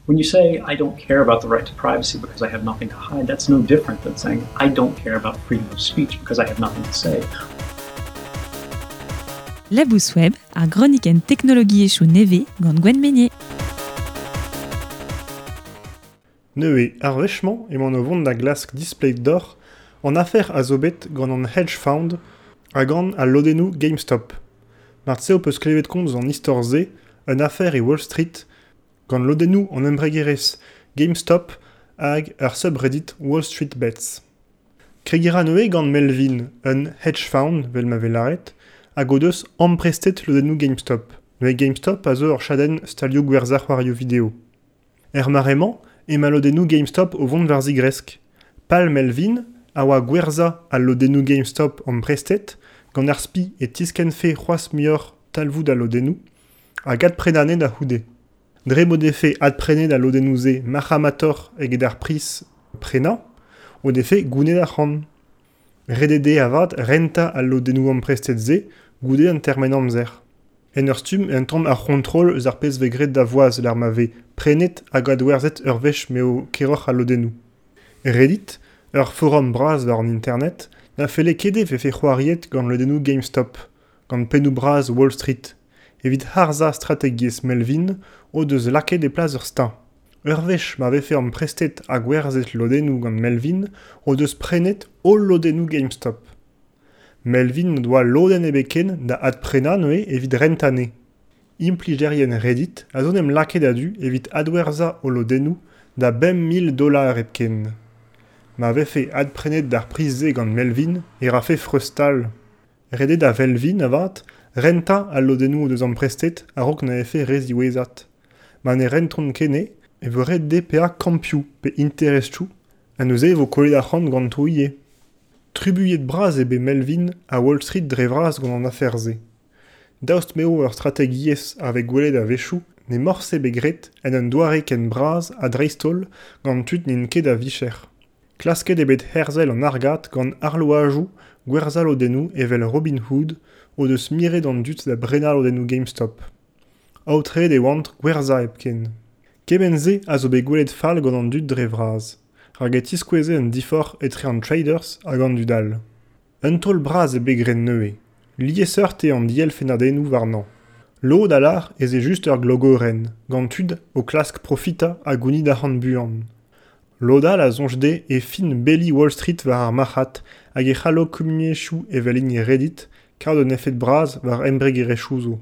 When you say, I don't care about the right to privacy because I have nothing to hide, that's no different than saying, I don't care about freedom of speech because I have nothing to say. Labous Web, ar gronikenn teknologiezhioù nevez gant Gwenn Meynier. Neuze, ar wech-mañ emaon o vont da glask displeg deoc'h an afer a zo bet gant an hedge fund ha gant al lodennoù GameStop. Marteze ho peus klevet komz an istor-se, un afer e Wall Street, gant lodennoù an embregerezh GameStop hag ar subreddit Wall Street Bets. Kregiñ a ra neuze gant Melvin, un hedge fund, vel ma vez lâret, hag o deus amprestet lodennoù GameStop. Neuze GameStop a zo ur chadenn stalioù gwerzhañ c'hoarioù video. Er mare-mañ emañ lodennoù GameStop o vont war zigresk. Pal Melvin a oa gwerzhañ al lodennoù GameStop amprestet gant ar spi e tiskennfe c'hoazh muioc'h talvoud al lodennoù hag adprenañ da c'houde. Dre m'o defe adprenet al lodennoù-se marc'hamatoc'h eget ar priz prenañ o defe gounet arc'hant. Ret eo dezhe avat rentañ al lodennoù amprestet-se goude an termen amzer. En ur stumm un tamm ar c'hontrol eus ar pezh 'vez graet da voaz lec'h ma vez prenet hag adwerzhet ur wech m'eo keroc'h al lodennoù. Reddit, ur forum bras war an internet, na felle ket e vefe c'hoariet gant lodennoù GameStop, gant pennoù bras Wall Street. Evit harzañ strategiezh Melvin o deus lakaet e plas ur steuñv. Ur wech ma vefe amprestet ha gwerzhet lodennoù gant Melvin o deus prenet holl lodennoù GameStop. Melvin n'o doa lodenn ebet ken da adprenañ neuze evit rentañ anezhe. Implijerien Reddit a zo en em lakaet a-du evit adwerzhañ o lodennoù da $5000 hepken. Ma vefe adprenet d'ar priz-se gant Melvin e rafe freuz-stal. Ret eo da Velvin avat rentañ al lodennoù o deus amprestet a-raok na vefe re ziwezhat. Ma ne rentont ket anezhe e vo ret dezhe paeañ kampioù pe interestoù ha neuze e vo kollet arc'hant ganto ivez. Trubuilhet-bras eo bet Melvin ha Wall Street dre vras gant an afer-se. Daoust m'eo ur strategiezh a vez gwelet a-wechoù n'eo morse bet graet en un doare ken bras ha dreist-holl gant tud n'int ket a-vicher. Klasket eo bet herzel an argad gant arloadoù gwerzhañ lodennoù evel Robinhood o deus miret an dud da brenañ lodennoù GameStop. Aotreet e oant gwerzhañ hepken. Kement-se a zo bet gwelet fall gant an dud dre vras, rak e tiskoueze un diforc'h etre an traders hag an dud all. Un taol bras eo bet graet neuze. Liesseurt eo an dielfennadennoù warnañ. Lod a lâr ez eo just ur glogorenn, gant tud o klask profitañ ha gounit arc'hant buan. Lod all a soñj dezhe e fin beli Wall Street war ar marc'had hag e c'hallo kumuniezhioù evel hini Reddit kaout un efed bras war embregerezhioù zo.